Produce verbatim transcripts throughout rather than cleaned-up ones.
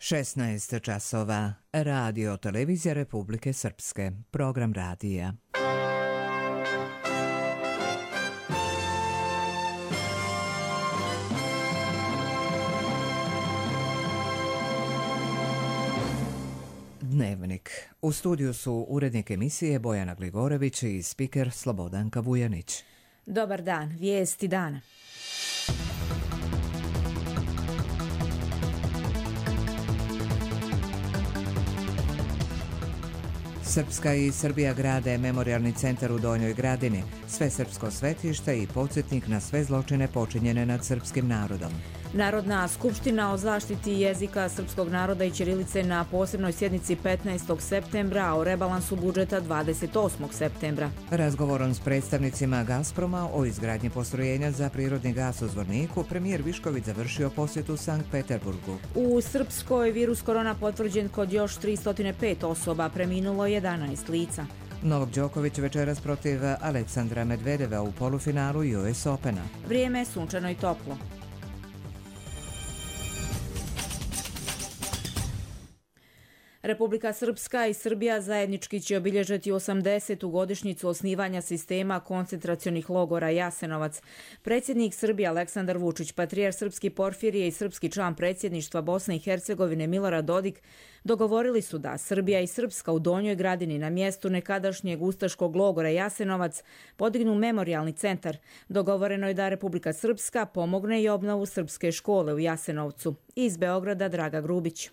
šesnaest časova. Radio Televizija Republike Srpske. Program radija. Dnevnik. U studiju su urednik emisije Bojana Gligorević i spiker Slobodanka Vujanić. Dobar dan, vijesti dana. Srpska i Srbija grade memorijalni centar u Donjoj Gradini, svesrpsko svetište i podsjetnik na sve zločine počinjene nad srpskim narodom. Narodna skupština o zaštiti jezika srpskog naroda i ćirilice na posebnoj sjednici petnaestog septembra, a o rebalansu budžeta dvadeset osmog septembra. Razgovorom s predstavnicima Gazproma o izgradnji postrojenja za prirodni gas u Zvorniku, premijer Višković završio posjetu Sankt Peterburgu. U Srpskoj virus korona potvrđen kod još tristo pet osoba, preminulo jedanaest lica. Novak Đoković večeras protiv Aleksandra Medvedeva u polufinalu U S Opena. Vrijeme je sunčano i toplo. Republika Srpska i Srbija zajednički će obilježiti osamdesetu godišnjicu osnivanja sistema koncentracionih logora Jasenovac. Predsjednik Srbije Aleksandar Vučić, patrijar Srpski Porfirije i srpski član predsjedništva Bosne i Hercegovine Milorad Dodik dogovorili su da Srbija i Srpska u Donjoj Gradini na mjestu nekadašnjeg ustaškog logora Jasenovac podignu memorijalni centar. Dogovoreno je da Republika Srpska pomogne i obnovu srpske škole u Jasenovcu. Iz Beograda Draga Grubić.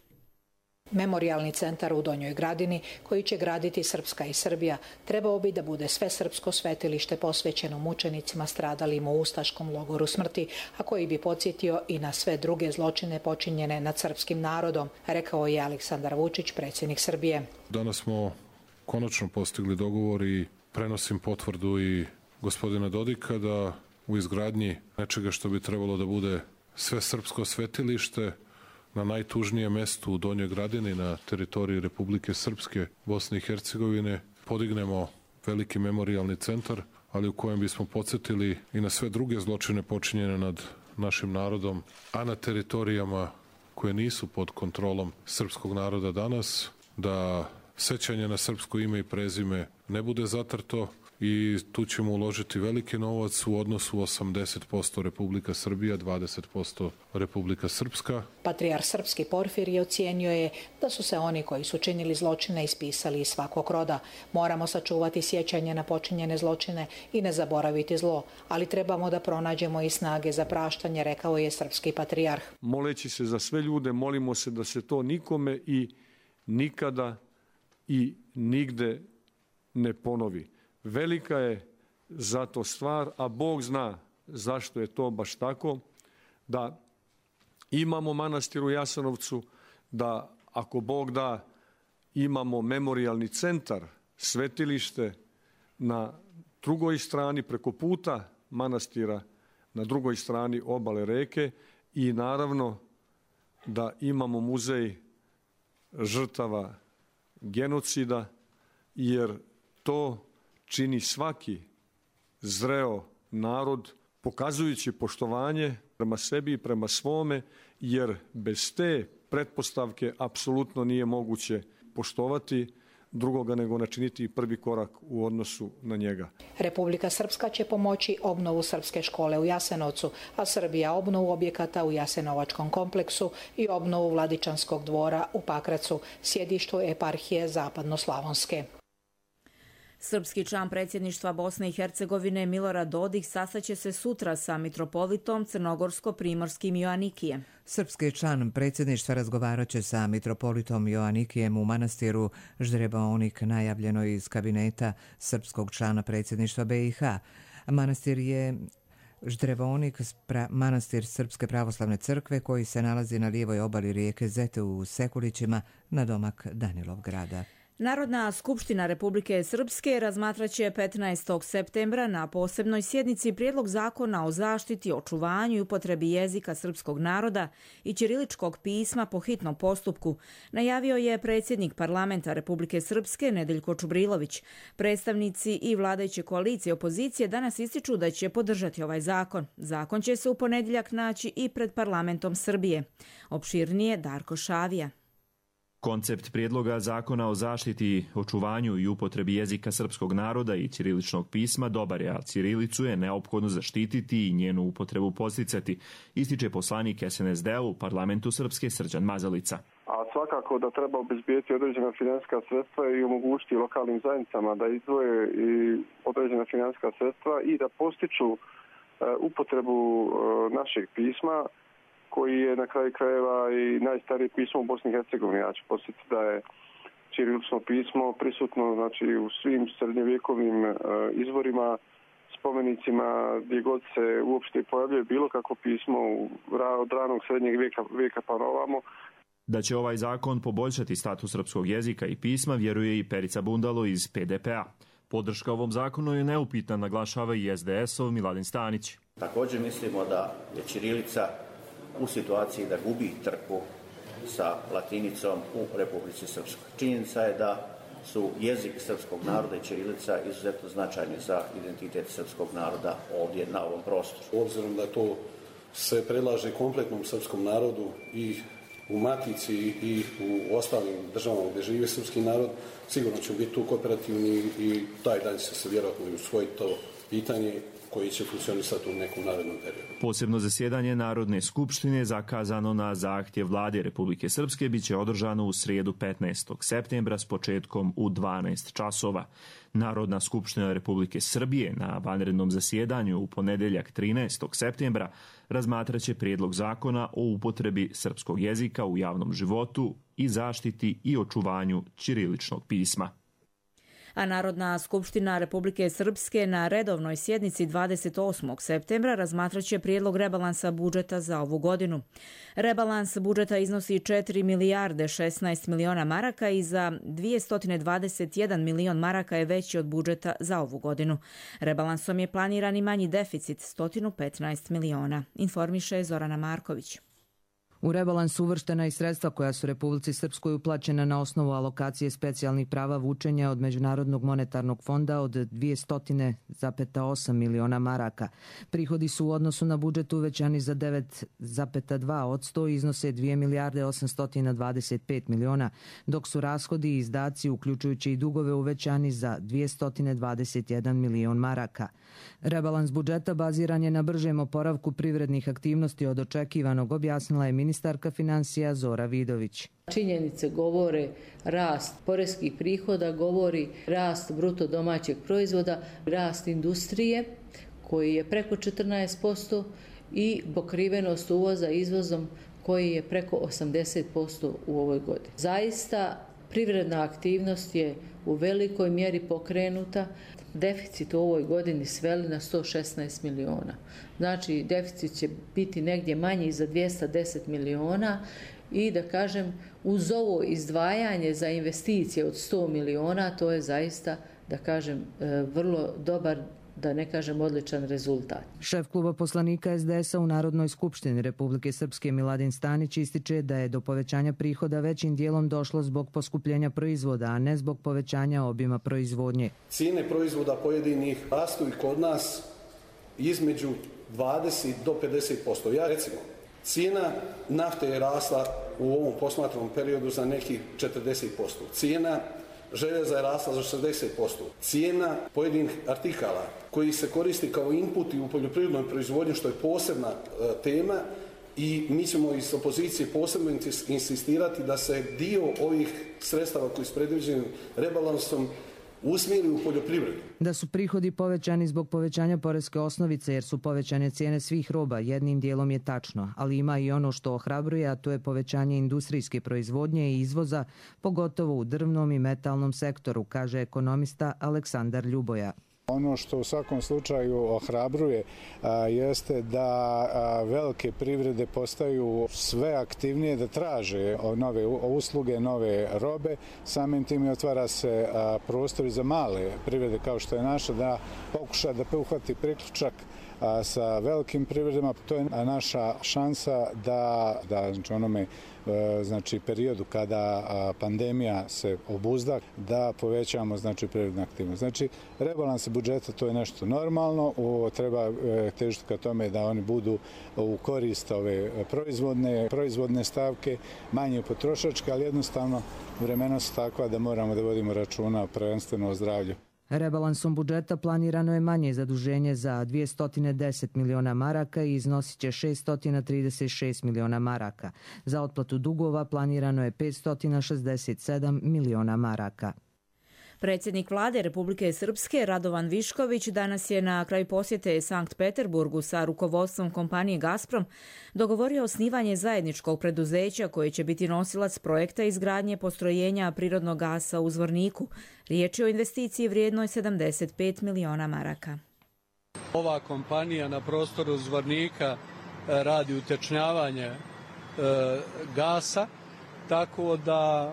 Memorijalni centar u Donjoj Gradini, koji će graditi Srpska i Srbija, trebao bi da bude svesrpsko svetilište posvećeno mučenicima stradalim u ustaškom logoru smrti, a koji bi podsjetio i na sve druge zločine počinjene nad srpskim narodom, rekao je Aleksandar Vučić, predsjednik Srbije. Danas smo konačno postigli dogovor i prenosim potvrdu i gospodina Dodika da u izgradnji nečega što bi trebalo da bude svesrpsko svetilište na najtužnijem mestu u Donjoj Gradini na teritoriji Republike Srpske, Bosne i Hercegovine podignemo veliki memorijalni centar, ali u kojem bismo podsjetili i na sve druge zločine počinjene nad našim narodom, a na teritorijama koje nisu pod kontrolom srpskog naroda danas, da sećanje na srpsko ime i prezime ne bude zatrto i tu ćemo uložiti veliki novac u odnosu osamdeset posto Republika Srbija, dvadeset posto Republika Srpska. Patrijar Srpski Porfirije ocijenio je da su se oni koji su činili zločine ispisali iz svakog roda. Moramo sačuvati sjećanje na počinjene zločine i ne zaboraviti zlo, ali trebamo da pronađemo i snage za praštanje, rekao je srpski patrijarh. Moleći se za sve ljude, molimo se da se to nikome i nikada i nigde ne ponovi. Velika je zato stvar, a Bog zna zašto je to baš tako, da imamo manastir u Jasenovcu, da ako Bog da imamo memorijalni centar, svetilište na drugoj strani preko puta manastira, na drugoj strani obale reke i naravno da imamo muzej žrtava genocida, jer to čini svaki zreo narod pokazujući poštovanje prema sebi i prema svome, jer bez te pretpostavke apsolutno nije moguće poštovati drugoga nego načiniti prvi korak u odnosu na njega. Republika Srpska će pomoći obnovu srpske škole u Jasenovcu, a Srbija obnovu objekata u Jasenovačkom kompleksu i obnovu Vladičanskog dvora u Pakracu, sjedištu eparhije Zapadnoslavonske. Srpski član predsjedništva Bosne i Hercegovine Milorad Dodik sastaće se sutra sa mitropolitom Crnogorsko-primorskim Joanikijem. Srpski član predsjedništva razgovarat će sa mitropolitom Joanikijem u manastiru Ždrebonik, najavljeno iz kabineta srpskog člana predsjedništva B i H. Manastir je Ždrevonik, manastir Srpske pravoslavne crkve koji se nalazi na lijevoj obali rijeke Zete u Sekulićima, na domak Danilovgrada. Narodna skupština Republike Srpske razmatraće petnaestog septembra na posebnoj sjednici prijedlog zakona o zaštiti, očuvanju i upotrebi jezika srpskog naroda i ćiriličkog pisma po hitnom postupku, najavio je predsjednik parlamenta Republike Srpske Nedeljko Čubrilović. Predstavnici i vladajuće koalicije opozicije danas ističu da će podržati ovaj zakon. Zakon će se u ponedjeljak naći i pred parlamentom Srbije. Opširnije Darko Šavija. Koncept prijedloga zakona o zaštiti, očuvanju i upotrebi jezika srpskog naroda i ćiriličnog pisma dobar je, a ćirilicu je neophodno zaštititi i njenu upotrebu podsticati, ističe poslanik S N S D-a u parlamentu Srpske Srđan Mazalica. A svakako da treba obezbijeti određena financijska sredstva i omogućiti lokalnim zajednicama da izdvoje i određena financijska sredstva i da postiču upotrebu našeg pisma, koji je na kraju krajeva i najstarije pismo u Bosni i Hercegovini. Ja ću podsjetiti da je ćirilično pismo prisutno znači, u svim srednjovjekovnim uh, izvorima, spomenicima, gdje god se uopšte pojavljuje bilo kako pismo od ranog srednjeg vijeka, vijeka pa novamo. Da će ovaj zakon poboljšati status srpskog jezika i pisma, vjeruje i Perica Bundalo iz P D P A. Podrška ovom zakonu je neupitna, naglašava i S D S-ov Miladin Stanić. Također mislimo da je ćirilica u situaciji da gubi trku sa latinicom u Republici Srpskoj. Činjenica je da su jezik srpskog naroda i ćirilica izuzetno značajni za identitet srpskog naroda ovdje na ovom prostoru. Obzirom da to se predlaže kompletnom srpskom narodu i u Matici i u ostalim državama gdje živi srpski narod, sigurno će biti tu kooperativni i taj dan će se vjerojatno i usvojiti to pitanje koji će funkcionisati u nekom narednom periodu. Posebno zasjedanje Narodne skupštine zakazano na zahtjev Vlade Republike Srpske biće održano u srijedu petnaestog septembra s početkom u dvanaest časova. Narodna skupština Republike Srbije na vanrednom zasjedanju u ponedjeljak trinaestog septembra razmatraće prijedlog zakona o upotrebi srpskog jezika u javnom životu i zaštiti i očuvanju ćiriličnog pisma. A Narodna skupština Republike Srpske na redovnoj sjednici dvadeset osmog septembra razmatraće prijedlog rebalansa budžeta za ovu godinu. Rebalans budžeta iznosi četiri milijarde šesnaest miliona maraka i za dvjesto dvadeset jedan milion maraka je veći od budžeta za ovu godinu. Rebalansom je planiran i manji deficit sto petnaest miliona, informiše Zorana Marković. U rebalansu uvrštena i sredstva koja su Republici Srpskoj uplaćena na osnovu alokacije specijalnih prava vučenja od Međunarodnog monetarnog fonda od dvjesto zarez osam miliona maraka. Prihodi su u odnosu na budžet uvećani za devet zarez dva posto i iznose dvije milijarde osamsto dvadeset pet miliona, dok su rashodi i izdaci, uključujući i dugove, uvećani za dvjesto dvadeset jedan milion maraka. Rebalans budžeta baziran je na bržem oporavku privrednih aktivnosti od očekivanog, objasnila je ministarka financija Zora Vidović. Činjenice govore rast poreskih prihoda, govori rast bruto domaćeg proizvoda, rast industrije koji je preko četrnaest posto i pokrivenost uvoza izvozom koji je preko osamdeset posto u ovoj godini. Zaista privredna aktivnost je u velikoj mjeri pokrenuta. Deficit u ovoj godini sveli na sto šesnaest miliona. Znači, deficit će biti negdje manji za dvjesto deset miliona i da kažem, uz ovo izdvajanje za investicije od sto miliona, to je zaista, da kažem, vrlo dobar, da ne kažem odličan rezultat. Šef kluba poslanika S D S-a u Narodnoj skupštini Republike Srpske Miladin Stanić ističe da je do povećanja prihoda većim dijelom došlo zbog poskupljenja proizvoda, a ne zbog povećanja obima proizvodnje. Cijene proizvoda pojedinih rastu i kod nas između dvadeset do pedeset posto. Ja recimo, cijena nafte je rasla u ovom posmatranom periodu za nekih četrdeset posto. Cijena željeza je rasla za šezdeset posto. Cijena pojedinih artikala koji se koristi kao inputi u poljoprivrednoj proizvodnji, što je posebna e, tema, i mi ćemo iz opozicije posebno insistirati da se dio ovih sredstava koji su predviđeni rebalansom usmjeri u poljoprivredu. Da su prihodi povećani zbog povećanja poreske osnovice jer su povećane cijene svih roba, jednim dijelom je tačno, ali ima i ono što ohrabruje, a to je povećanje industrijske proizvodnje i izvoza, pogotovo u drvnom i metalnom sektoru, kaže ekonomista Aleksandar Ljuboja. Ono što u svakom slučaju ohrabruje a, jeste da a, velike privrede postaju sve aktivnije da traže nove usluge, nove robe. Samim tim otvara se a, prostor za male privrede kao što je naša da pokuša da uhvati priključak sa velikim privredama. To je naša šansa da, da znači onome znači periodu kada pandemija se obuzda, da povećamo znači privrednu aktivnost. Znači rebalans budžeta to je nešto normalno, o, treba težiti ka tome da oni budu u korist ove proizvodne, proizvodne stavke, manje potrošačke, ali jednostavno vremena su takva da moramo da vodimo računa prvenstveno o zdravlju. Rebalansom budžeta planirano je manje zaduženje za dvjesto deset miliona maraka i iznosit će šesto trideset šest miliona maraka. Za otplatu dugova planirano je petsto šezdeset sedam miliona maraka. Predsjednik vlade Republike Srpske Radovan Višković danas je na kraju posjete Sankt Peterburgu sa rukovodstvom kompanije Gazprom dogovorio osnivanje zajedničkog preduzeća koje će biti nosilac projekta izgradnje postrojenja prirodnog gasa u Zvorniku. Riječ je o investiciji vrijednoj sedamdeset pet miliona maraka. Ova kompanija na prostoru Zvornika radi utečnjavanje e, gasa, tako da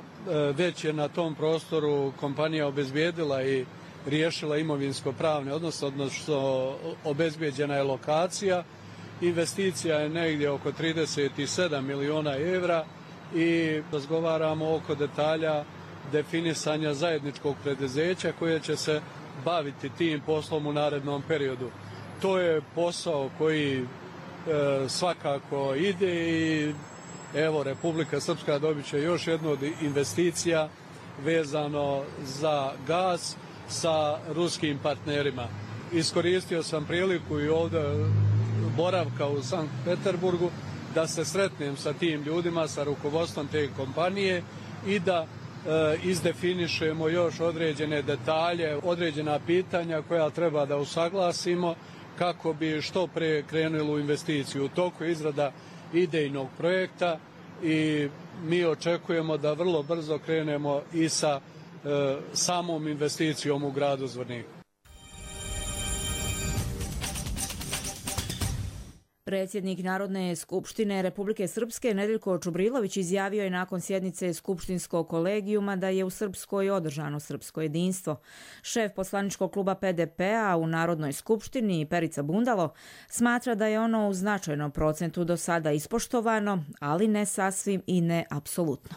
već je na tom prostoru kompanija obezbijedila i riješila imovinsko-pravne odnose, odnosno obezbijeđena je lokacija. Investicija je negdje oko trideset sedam miliona evra i razgovaramo oko detalja definisanja zajedničkog preduzeća koje će se baviti tim poslom u narednom periodu. To je posao koji e, svakako ide i evo, Republika Srpska dobit će još jednu od investicija vezano za gas sa ruskim partnerima. Iskoristio sam priliku i ovdje boravka u Sankt Peterburgu da se sretnem sa tim ljudima, sa rukovodstvom te kompanije i da e, izdefinišemo još određene detalje, određena pitanja koja treba da usaglasimo kako bi što pre krenuli u investiciju. U toku je izrada idejnog projekta i mi očekujemo da vrlo brzo krenemo i sa e, samom investicijom u gradu Zvorniku. Predsjednik Narodne skupštine Republike Srpske Nedeljko Čubrilović izjavio je nakon sjednice skupštinskog kolegijuma da je u Srpskoj održano srpsko jedinstvo. Šef poslaničkog kluba P D P-a u Narodnoj skupštini Perica Bundalo smatra da je ono u značajnom procentu do sada ispoštovano, ali ne sasvim i ne apsolutno.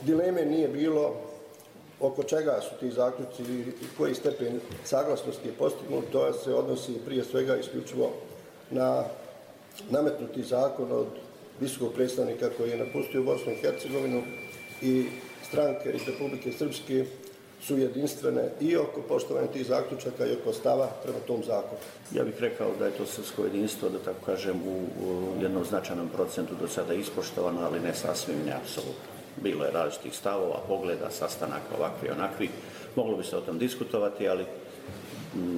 Dileme nije bilo oko čega su ti zaključci i koji stepen saglasnosti je postignut. To se odnosi prije svega isključivo na nametnuti zakon od visokog predstavnika koji je napustio Bosnu i Hercegovinu i stranke iz Republike Srpske su jedinstvene i oko poštovanja tih zaključaka i oko stava prema tom zakonu. Ja bih rekao da je to srpsko jedinstvo, da tako kažem, u, u jednom značajnom procentu do sada ispoštovano, ali ne sasvim ne apsolutno. Bilo je različitih stavova, pogleda, sastanaka ovakvi i onakvi. Moglo bi se o tom diskutovati, ali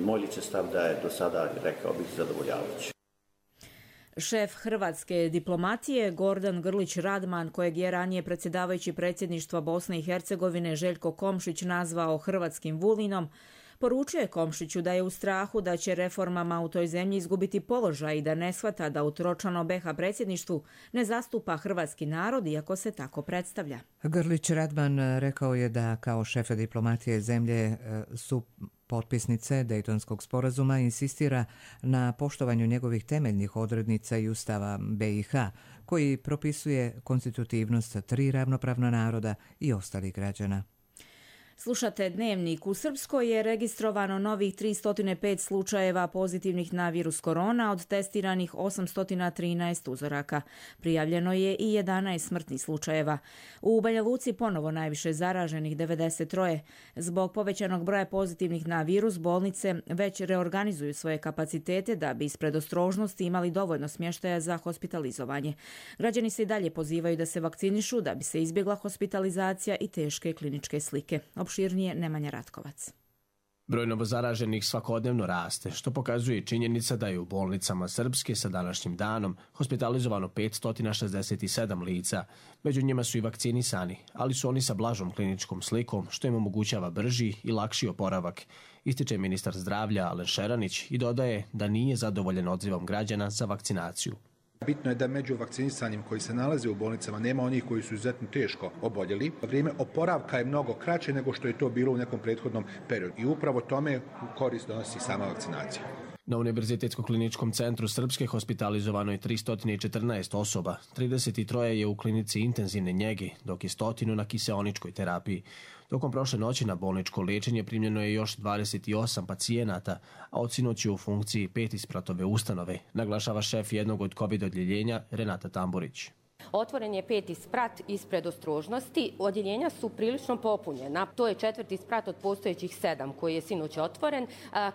moj lični stav da je do sada, rekao bih, zadovoljavajući. Šef hrvatske diplomatije Gordan Grlić Radman, kojeg je ranije predsjedavajući predsjedništva Bosne i Hercegovine Željko Komšić nazvao hrvatskim Vulinom, poručuje Komšiću da je u strahu da će reformama u toj zemlji izgubiti položaj i da ne shvata da u tročlanom B iH predsjedništvu ne zastupa hrvatski narod, iako se tako predstavlja. Grlić Radman rekao je da kao šef diplomatije zemlje su potpisnice Dejtonskog sporazuma insistira na poštovanju njegovih temeljnih odrednica i ustava B iH, koji propisuje konstitutivnost tri ravnopravna naroda i ostalih građana. Slušate Dnevnik. U Srpskoj je registrovano novih tristo pet slučajeva pozitivnih na virus korona od testiranih osamsto trinaest uzoraka. Prijavljeno je i jedanaest smrtnih slučajeva. U Banja Luci ponovo najviše zaraženih devedeset tri. Zbog povećanog broja pozitivnih na virus, bolnice već reorganizuju svoje kapacitete da bi iz predostrožnosti imali dovoljno smještaja za hospitalizovanje. Građani se i dalje pozivaju da se vakcinišu da bi se izbjegla hospitalizacija i teške kliničke slike. Opširnije Nemanja Ratkovac. Broj novozaraženih svakodnevno raste, što pokazuje činjenica da je u bolnicama Srpske sa današnjim danom hospitalizovano petsto šezdeset sedam lica. Među njima su i vakcinisani, ali su oni sa blažom kliničkom slikom, što im omogućava brži i lakši oporavak, ističe ministar zdravlja Alen Šeranić i dodaje da nije zadovoljen odzivom građana za vakcinaciju. Bitno je da među vakcinisanjem koji se nalaze u bolnicama nema onih koji su izuzetno teško oboljeli. Vrijeme oporavka je mnogo kraće nego što je to bilo u nekom prethodnom periodu i upravo tome korist donosi sama vakcinacija. Na Univerzitetskom kliničkom centru Srpske hospitalizovano je tristo četrnaest osoba, trideset tri je u klinici intenzivne njege, dok je stotinu na kiseoničkoj terapiji. Tokom prošle noći na bolničko liječenje primljeno je još dvadeset osam pacijenata, a od sinoć je u funkciji pet ispratove ustanove, naglašava šef jednog od COVID odjeljenja Renata Tamburić. Otvoren je peti sprat ispred ostrožnosti. Odjeljenja su prilično popunjena. To je četvrti sprat od postojećih sedam koji je sinoć otvoren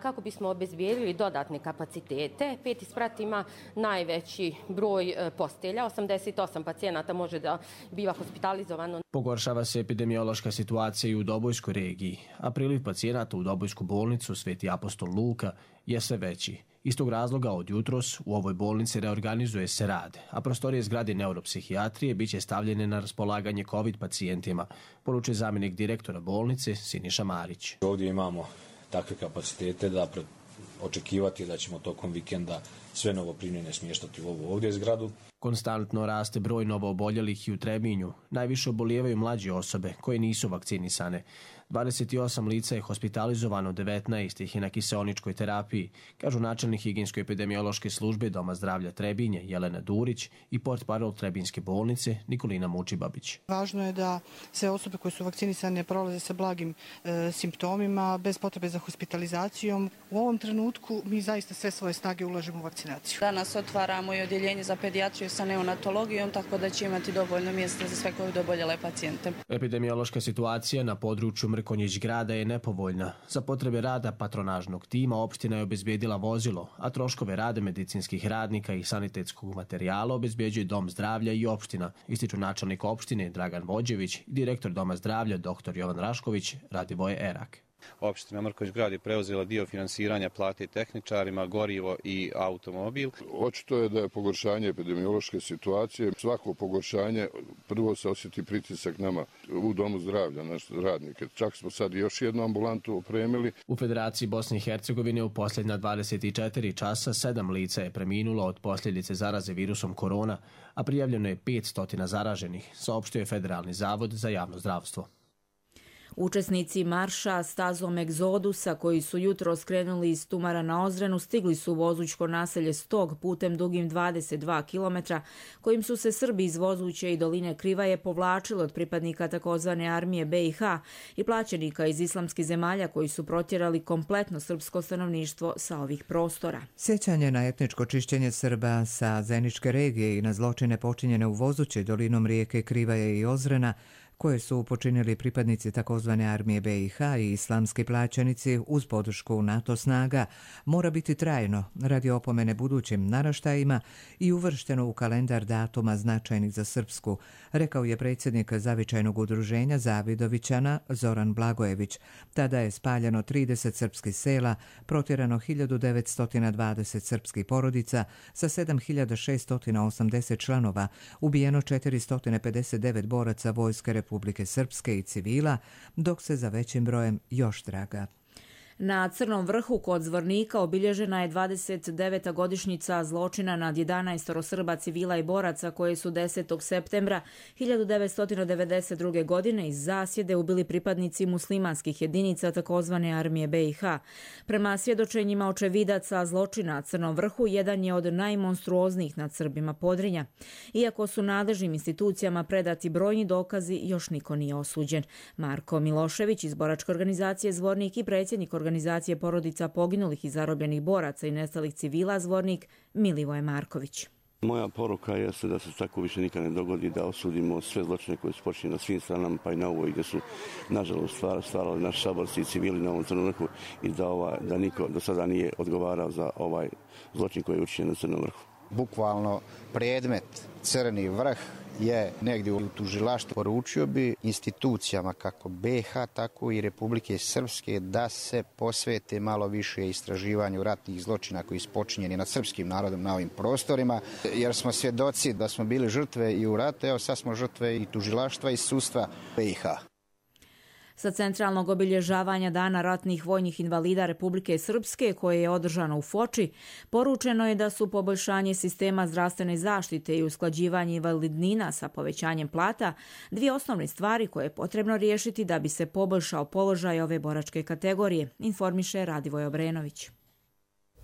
kako bismo obezbijedili dodatne kapacitete. Peti sprat ima najveći broj postelja. osamdeset osam pacijenata može da biva hospitalizovano. Pogoršava se epidemiološka situacija i u Dobojskoj regiji, a priliv pacijenata u Dobojsku bolnicu Sveti apostol Luka je sve veći. Iz tog razloga od jutros u ovoj bolnici reorganizuje se rad, a prostorije zgrade neuropsihijatrije biće stavljene na raspolaganje COVID pacijentima, poručuje zamjenik direktora bolnice Siniša Marić. Ovdje imamo takve kapacitete da očekivati da ćemo tokom vikenda sve novoprimljene smještati u ovu ovdje zgradu. Konstantno raste broj novooboljelih i u Trebinju. Najviše obolijevaju mlađe osobe koje nisu vakcinisane. dvadeset osam lica je hospitalizovano, devetnaest ih je na kiseoničkoj terapiji, kažu načelnik higijensko-epidemiološke službe Doma zdravlja Trebinje Jelena Durić i portparol Trebinjske bolnice Nikolina Mučibabić. Važno je da sve osobe koje su vakcinisane prolaze sa blagim e, simptomima, bez potrebe za hospitalizacijom. U ovom trenutku mi zaista sve svoje snage ulažemo u vakcinaciju. Danas otvaramo i odjeljenje za pedijatriju sa neonatologijom, tako da će imati dovoljno mjesta za sve COVID oboljele pacijente. Epidemiološka situacija na području Mrkonjić grada je nepovoljna. Za potrebe rada patronažnog tima opština je obezbijedila vozilo, a troškove rada medicinskih radnika i sanitetskog materijala obezbjeđuje Dom zdravlja i opština, ističu načelnik opštine Dragan Vođević i direktor Doma zdravlja dr Jovan Rašković, Radivoje Erak. Opština Mrkonjić grad je preuzela dio finansiranja plate tehničarima, gorivo i automobil. Očito je da je pogoršanje epidemiološke situacije. Svako pogoršanje prvo se osjeti pritisak nama u Domu zdravlja, naše radnike. Čak smo sad još jednu ambulantu opremili. U Federaciji Bosne i Hercegovine u posljednja dvadeset četiri časa sedam lica je preminulo od posljedice zaraze virusom korona, a prijavljeno je petsto zaraženih, saopštio je Federalni zavod za javno zdravstvo. Učesnici marša stazom egzodusa koji su jutro skrenuli iz Tumara na Ozrenu stigli su u Vozućko naselje Stog putem dugim dvadeset dva kilometra kojim su se Srbi iz Vozuće i doline Krivaje povlačili od pripadnika takozvane armije B i H i plaćenika iz islamskih zemalja koji su protjerali kompletno srpsko stanovništvo sa ovih prostora. Sjećanje na etničko čišćenje Srba sa Zeničke regije i na zločine počinjene u Vozuće, dolinom rijeke Krivaje i Ozrena koje su počinili pripadnici takozvane armije B i H i islamski plaćenici uz podršku NATO snaga, mora biti trajno radi opomene budućim naraštajima i uvršteno u kalendar datuma značajnih za Srpsku, rekao je predsjednik Zavičajnog udruženja Zavidovićana Zoran Blagojević. Tada je spaljeno trideset srpskih sela, protjerano hiljadu devetsto dvadeset srpskih porodica sa sedam hiljada šeststo osamdeset članova, ubijeno četiristo pedeset devet boraca vojske Republike Srpske i civila, dok se za većim brojem još traga. Na Crnom vrhu kod Zvornika obilježena je dvadeset deveta godišnjica zločina nad jedanaest Srba, civila i boraca koje su desetog septembra hiljadu devetsto devedeset druge. godine iz zasjede ubili pripadnici muslimanskih jedinica takozvane armije B i H. Prema svjedočenjima očevidaca zločina na Crnom vrhu, jedan je od najmonstruoznijih nad Srbima Podrinja. Iako su nadležnim institucijama predati brojni dokazi, još niko nije osuđen. Marko Milošević iz boračke organizacije Zvornik i predsjednik organizacije porodica poginulih i zarobljenih boraca i nestalih civila Zvornik Milivoje Marković. Moja poruka je da se tako više nikad ne dogodi, da osudimo sve zločine koje su počinjene na svim stranama, pa i na ovoj gdje su nažalost stvarali naši saborci i civili na ovom Crnom vrhu i da, ovaj, da niko do sada nije odgovarao za ovaj zločin koji je učinjen na Crnom vrhu. Bukvalno predmet Crni vrh je negdje u tužilaštvu. Poručio bi institucijama kako B i H, tako i Republike Srpske da se posvete malo više istraživanju ratnih zločina koji su počinjeni nad srpskim narodom na ovim prostorima, jer smo svjedoci da smo bili žrtve i u ratu, evo sad smo žrtve i tužilaštva i sudstva B i H. Sa centralnog obilježavanja Dana ratnih vojnih invalida Republike Srpske, koje je održano u Foči, poručeno je da su poboljšanje sistema zdravstvene zaštite i usklađivanje invalidnina sa povećanjem plata dvije osnovne stvari koje je potrebno riješiti da bi se poboljšao položaj ove boračke kategorije, informiše Radivoj Obrenović.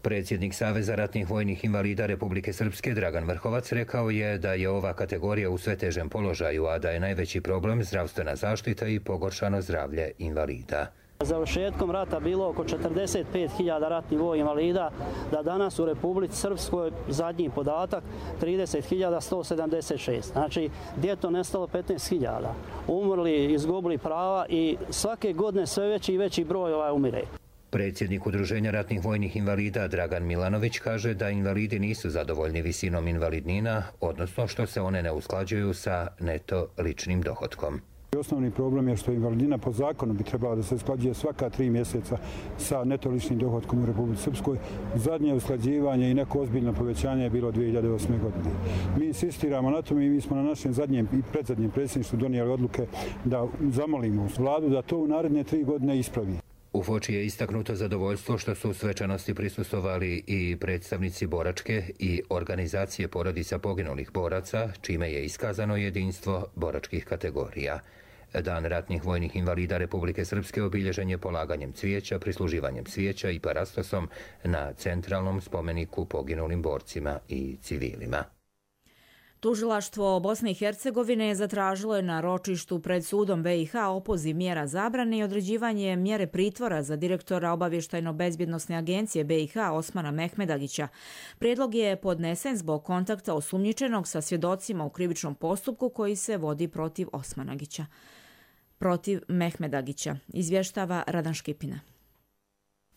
Predsjednik Saveza ratnih vojnih invalida Republike Srpske Dragan Vrhovac rekao je da je ova kategorija u sve težem položaju, a da je najveći problem zdravstvena zaštita i pogoršano zdravlje invalida. Završetkom rata bilo oko četrdeset pet hiljada ratnih vojnih invalida, da danas u Republici Srpskoj zadnji podatak trideset hiljada sto sedamdeset šest. Znači, gdje je to nestalo petnaest hiljada. Umrli, izgubili prava i svake godine sve veći i veći broj ovaj umire. Predsjednik Udruženja ratnih vojnih invalida Dragan Milanović kaže da invalidi nisu zadovoljni visinom invalidnina, odnosno što se one ne usklađuju sa neto ličnim dohotkom. Osnovni problem je što invalidnina po zakonu bi trebala da se usklađuje svaka tri mjeseca sa neto ličnim dohotkom u Republici Srpskoj. Zadnje usklađivanje i neko ozbiljno povećanje je bilo dvije hiljade osme. godine. Mi insistiramo na tome i mi smo na našem zadnjem i predzadnjem predsjedništvu donijeli odluke da zamolimo vladu da to u naredne tri godine ispravi. U Foči je istaknuto zadovoljstvo što su u svečanosti prisustvovali i predstavnici boračke i organizacije porodica poginulih boraca, čime je iskazano jedinstvo boračkih kategorija. Dan ratnih vojnih invalida Republike Srpske obilježen je polaganjem cvijeća, prisluživanjem cvijeća i parastosom na centralnom spomeniku poginulim borcima i civilima. Tužilaštvo Bosne i Hercegovine zatražilo je na ročištu pred sudom B i H opoziv mjera zabrane i određivanje mjere pritvora za direktora obavještajno-bezbjednosne agencije B i H Osmana Mehmedagića. Prijedlog je podnesen zbog kontakta osumnjičenog sa svjedocima u krivičnom postupku koji se vodi protiv Osmanagića. Protiv Mehmedagića, izvještava Radan Škipina.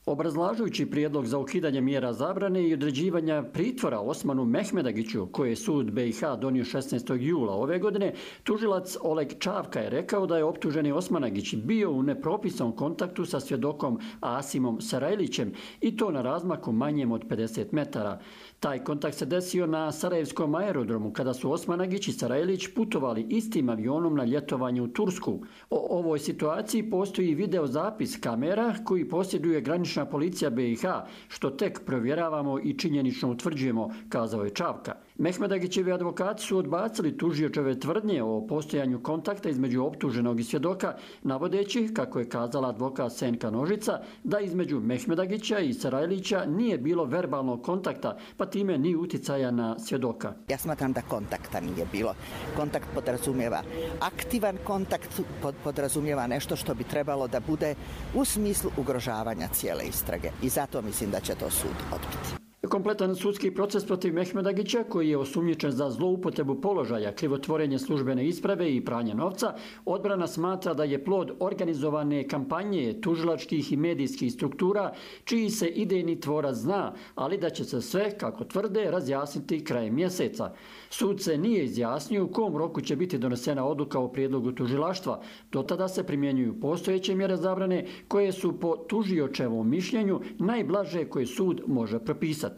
Obrazlažujući prijedlog za ukidanje mjera zabrane i određivanja pritvora Osmanu Mehmedagiću, koje je sud B i H donio šesnaestog jula ove godine, tužilac Oleg Čavka je rekao da je optuženi Osmanagić bio u nepropisanom kontaktu sa svjedokom Asimom Sarajlićem i to na razmaku manjem od pedeset metara. Taj kontakt se desio na Sarajevskom aerodromu kada su Osmanagić i Sarajlić putovali istim avionom na ljetovanje u Tursku. O ovoj situaciji postoji video zapis kamera koji posjeduje granična policija B i H, što tek provjeravamo i činjenično utvrđujemo, kazao je Čavka. Mehmedagićevi advokati su odbacili tužiočeve tvrdnje o postojanju kontakta između optuženog i svjedoka, navodeći, kako je kazala advokat Senka Nožica, da između Mehmedagića i Sarajlića nije bilo verbalnog kontakta, pa time ni uticaja na svjedoka. Ja smatram da kontakta nije bilo. Kontakt podrazumijeva aktivan kontakt, podrazumijeva nešto što bi trebalo da bude u smislu ugrožavanja cijele istrage. I zato mislim da će to sud odbiti. Kompletan sudski proces protiv Mehmedagića, koji je osumnjičen za zloupotrebu položaja, krivotvorenje službene isprave i pranje novca, odbrana smatra da je plod organizovane kampanje tužilačkih i medijskih struktura, čiji se idejni tvorac zna, ali da će se sve, kako tvrde, razjasniti krajem mjeseca. Sud se nije izjasnio u kom roku će biti donesena odluka o prijedlogu tužilaštva. Do tada se primjenjuju postojeće mjere zabrane, koje su po tužiočevom mišljenju najblaže koje sud može propisati.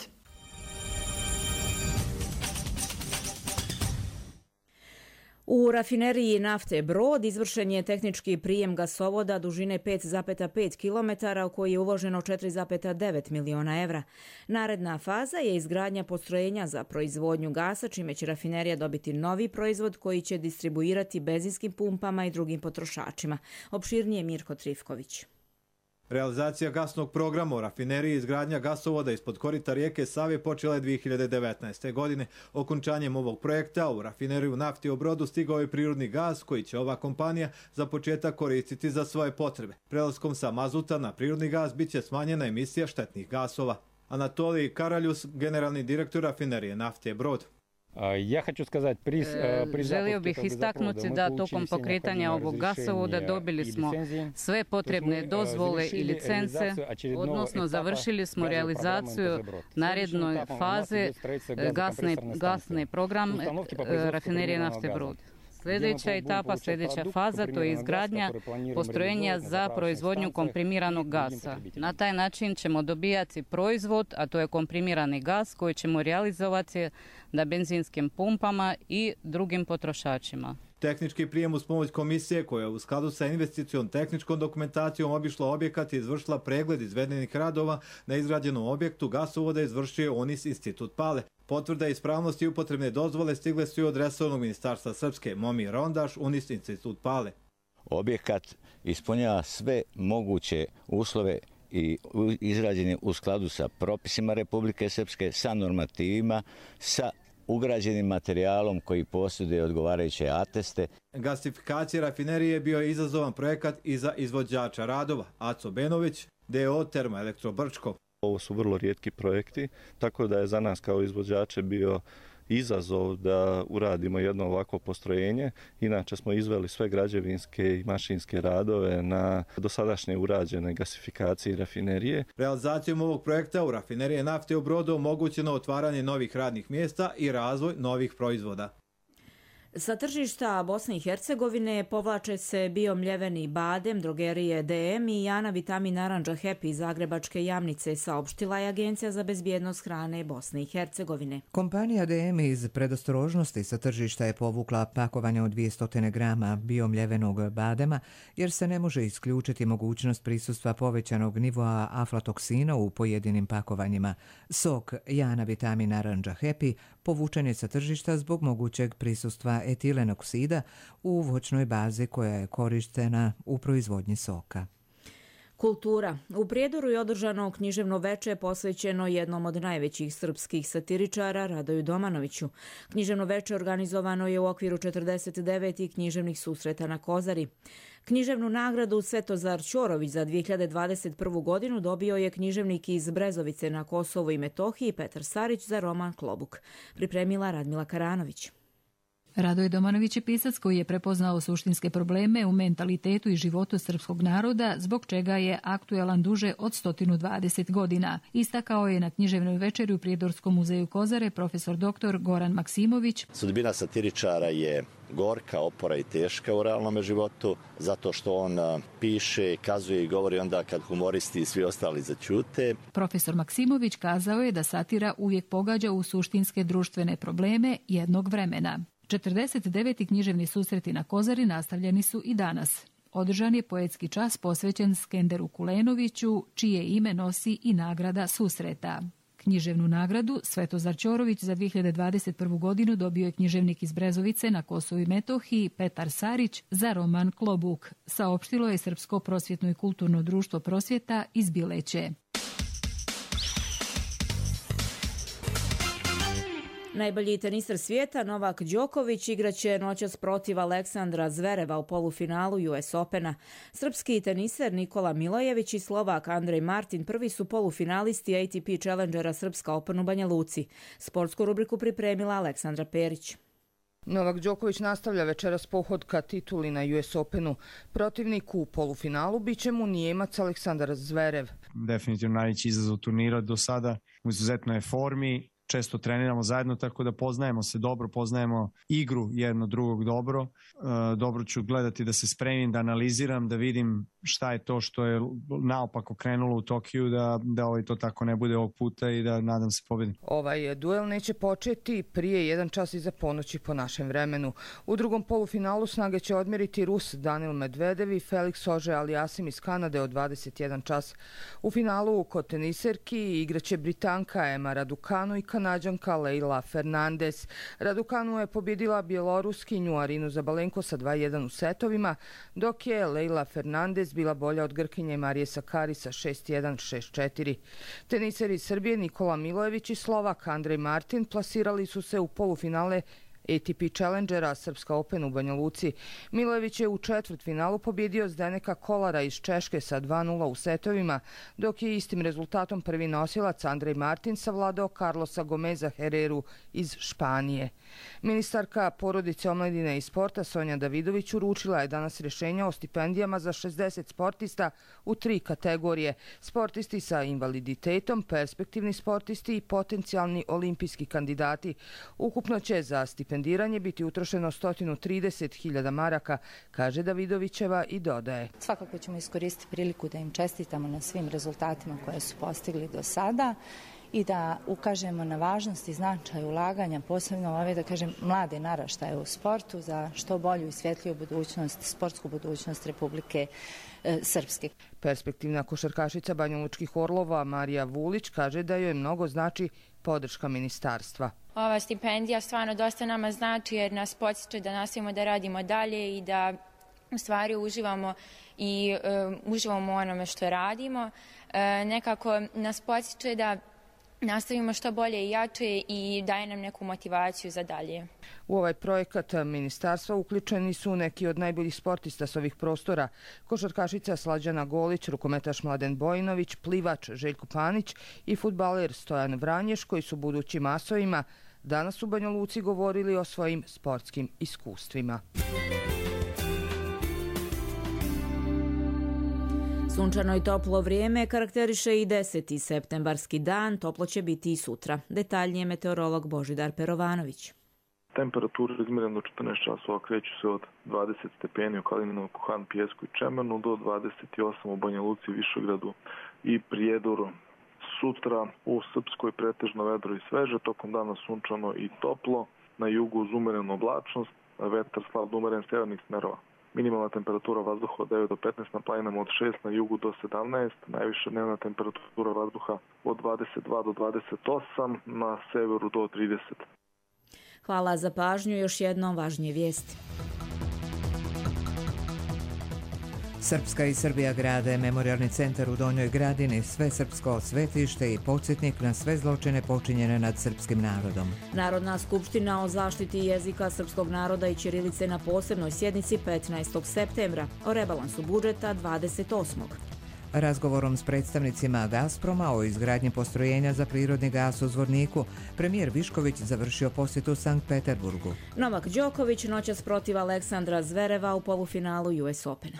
U rafineriji nafte Brod izvršen je tehnički prijem gasovoda dužine pet zarez pet kilometara u koji je uloženo četiri zarez devet miliona evra. Naredna faza je izgradnja postrojenja za proizvodnju gasa, čime će rafinerija dobiti novi proizvod koji će distribuirati benzinskim pumpama i drugim potrošačima. Opširnije Mirko Trifković. Realizacija gasnog programa u rafineriji i izgradnja gasovoda ispod korita rijeke Save počela je dvije hiljade devetnaeste. godine. Okončanjem ovog projekta u rafineriju nafte u Brodu stigao je prirodni gas koji će ova kompanija za početak koristiti za svoje potrebe. Prelaskom sa mazuta na prirodni gas bit će smanjena emisija štetnih gasova. Anatolij Karaljus, generalni direktor rafinerije nafte Brod. Ja хочу сказать, при, при Želio bih istaknuti da tokom pokretanja ovog gasovoda dobili smo sve potrebne dozvole i licence, odnosno završili smo realizaciju naredne faze gasne, gasne program rafinerije nafte Brod. Sljedeća etapa, sljedeća faza, to je izgradnja postrojenja za proizvodnju komprimiranog gasa. Na taj način ćemo dobijati proizvod, a to je komprimirani gas koji ćemo realizovati na benzinskim pumpama i drugim potrošačima. Tehnički prijem uz pomoć komisije koja je u skladu sa investicijom tehničkom dokumentacijom obišla objekat i izvršila pregled izvedenih radova na izgrađenom objektu gasovoda izvršio ONIS Institut Pale. Potvrda ispravnosti i upotrebne dozvole stigle su i od resornog ministarstva Srpske Momir Rondaš, ONIS Institut Pale. Objekat ispunjava sve moguće uslove i izrađen je u skladu sa propisima Republike Srpske, sa normativima, sa ugrađenim materijalom koji posjeduje odgovarajuće ateste. Gasifikacija rafinerije bio je izazovan projekat i za izvođača radova, Aco Benović, D O Termoelektro Brčko. Ovo su vrlo rijetki projekti, tako da je za nas kao izvođače bio izazov da uradimo jedno ovako postrojenje. Inače smo izveli sve građevinske i mašinske radove na dosadašnje urađene gasifikacije i rafinerije. Realizacijom ovog projekta u rafinerije nafte u Brodu omogućeno otvaranje novih radnih mjesta i razvoj novih proizvoda. Sa tržišta Bosne i Hercegovine povlače se biomljeveni badem, drogerije D M i Jana Vitamin Narandža Happy iz Zagrebačke Jamnice, saopštila je Agencija za bezbjednost hrane Bosne i Hercegovine. Kompanija D M iz predostrožnosti sa tržišta je povukla pakovanje od dvjesto grama biomljevenog badema jer se ne može isključiti mogućnost prisustva povećanog nivoa aflatoksina u pojedinim pakovanjima. Sok Jana Vitamin Narandža Happy povučen je sa tržišta zbog mogućeg prisustva etilen oksida u voćnoj bazi koja je korištena u proizvodnji soka. Kultura. U Prijedoru je održano književno veče posvećeno jednom od najvećih srpskih satiričara, Radoju Domanoviću. Književno veče organizovano je u okviru četrdeset devetih književnih susreta na Kozari. Književnu nagradu Svetozar Ćorović za dvije hiljade dvadeset prvu godinu dobio je književnik iz Brezovice na Kosovu i Metohiji Petar Sarić za roman Klobuk. Pripremila Radmila Karanović. Radoj Domanović je pisac koji je prepoznao suštinske probleme u mentalitetu i životu srpskog naroda, zbog čega je aktuelan duže od sto dvadeset godina. Istakao je na književnoj večeri u Prijedorskom muzeju Kozare profesor doktor Goran Maksimović. Sudbina satiričara je gorka, opora i teška u realnom životu, zato što on piše, kazuje i govori onda kad humoristi i svi ostali zaćute. Profesor Maksimović kazao je da satira uvijek pogađa u suštinske društvene probleme jednog vremena. četrdeset deveti književni susreti na Kozari nastavljeni su i danas. Održan je poetski čas posvećen Skenderu Kulenoviću, čije ime nosi i nagrada susreta. Književnu nagradu Svetozar Ćorović za dvije hiljade dvadeset prvu godinu dobio je književnik iz Brezovice na Kosovu i Metohiji Petar Sarić za roman Klobuk, saopštilo je Srpsko prosvjetno i kulturno društvo Prosvjeta iz Bileće. Najbolji teniser svijeta Novak Đoković igraće noćas protiv Aleksandra Zvereva u polufinalu U S Opena. Srpski teniser Nikola Milojević i Slovak Andrej Martin prvi su polufinalisti A T P Challengera Srpska Open u Banja Luci. Sportsku rubriku pripremila Aleksandra Perić. Novak Đoković nastavlja večeras pohod ka tituli na U S Openu. Protivnik u polufinalu biće mu Nijemac Aleksandar Zverev. Definitivno najveći izazov turnira do sada, u izuzetnoj formi. Često treniramo zajedno, tako da poznajemo se dobro, poznajemo igru jedno drugog dobro. E, dobro ću gledati da se spremim, da analiziram, da vidim šta je to što je naopako krenulo u Tokiju, da, da ovaj to tako ne bude ovog puta i da nadam se pobedi. Ovaj duel neće početi prije jedan čas iza ponoći po našem vremenu. U drugom polufinalu snage će odmjeriti Rus Danil Medvedev i Felix Auger-Aliassime iz Kanade od dvadeset jedan čas. U finalu kod teniserki igraće Britanka Emma Raducanu i Kanađanka Leila Fernandez. Raducanu je pobjedila bjeloruskinju Arinu Zabalenko sa dva jedan u setovima, dok je Leila Fernandez bila bolja od Grkinje Marije Sakari sa šest jedan, šest četiri. Teniseri iz Srbije Nikola Milojević i Slovak Andrej Martin plasirali su se u polufinale A T P Challengera Srpska Open u Banja Luci. Milojević je u četvrtfinalu pobjedio Zdeneka Kolara iz Češke sa dva nula u setovima, dok je istim rezultatom prvi nosilac Andrej Martin savladao Carlosa Gomeza Hereru iz Španije. Ministarka porodice, omladine i sporta Sonja Davidović uručila je danas rješenja o stipendijama za šezdeset sportista u tri kategorije: sportisti sa invaliditetom, perspektivni sportisti i potencijalni olimpijski kandidati. Ukupno će za stipendiranje biti utrošeno sto trideset hiljada maraka, kaže Davidovićeva i dodaje. Svakako ćemo iskoristiti priliku da im čestitamo na svim rezultatima koje su postigli do sada i da ukažemo na važnost i značaj ulaganja, posebno ove, da kažem, mlade naraštaje u sportu za što bolju i svjetliju budućnost, sportsku budućnost Republike e, Srpske. Perspektivna košarkašica banjalučkih Orlova Marija Vulić kaže da joj mnogo znači podrška ministarstva. Ova stipendija stvarno dosta nama znači jer nas podsjeća da nastavimo da radimo dalje i da u stvari uživamo i uh, uživamo u onome što radimo. Uh, nekako nas podsjeća da nastavimo što bolje i jače i daje nam neku motivaciju za dalje. U ovaj projekat ministarstva uključeni su neki od najboljih sportista s ovih prostora: košarkašica Slađana Golić, rukometaš Mladen Bojinović, plivač Željko Panić i fudbaler Stojan Vranješ, koji su budućim asovima danas u Banja Luci govorili o svojim sportskim iskustvima. Sunčano i toplo vrijeme karakteriše i deseti septembarski dan, toplo će biti i sutra. Detaljnije meteorolog Božidar Perovanović. Temperature izmjerene do četrnaest časova kreću se od dvadeset stepeni u Kalininu, Kuhan, Pijesku i Čemenu do dvadeset osam u Banja Luci, Višegradu i Prijedoru. Sutra u Srpskoj pretežno vedro i sveže, tokom dana sunčano i toplo, na jugu uz umerenu oblačnost, vetar slab do umeren severnih smerova. Minimalna temperatura vazduha od devet do petnaest, na planinama od šest, na jugu do sedamnaest, najviša dnevna temperatura vazduha od dvadeset dva do dvadeset osam, na severu do trideset. Hvala za pažnju, još jednom važnije vijesti. Srpska i Srbija grade memorialni centar u Donjoj Gradini, svesrpsko svetište i podsjetnik na sve zločine počinjene nad srpskim narodom. Narodna skupština o zaštiti jezika srpskog naroda i ćirilice na posebnoj sjednici petnaestog septembra, o rebalansu budžeta dvadeset osmog Razgovorom s predstavnicima Gazproma o izgradnji postrojenja za prirodni gas u Zvorniku, premijer Višković završio posjetu Sankt Peterburgu. Novak Đoković noćas protiv Aleksandra Zvereva u polufinalu U S Opena.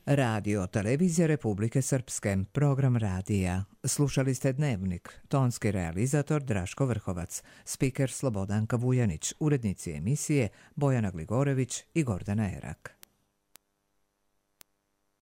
Radio Televizija Republike Srpske, program radija. Slušali ste Dnevnik, tonski realizator Draško Vrhovac, spiker Slobodanka Vujanić, urednici emisije Bojana Gligorević i Gordana Erak.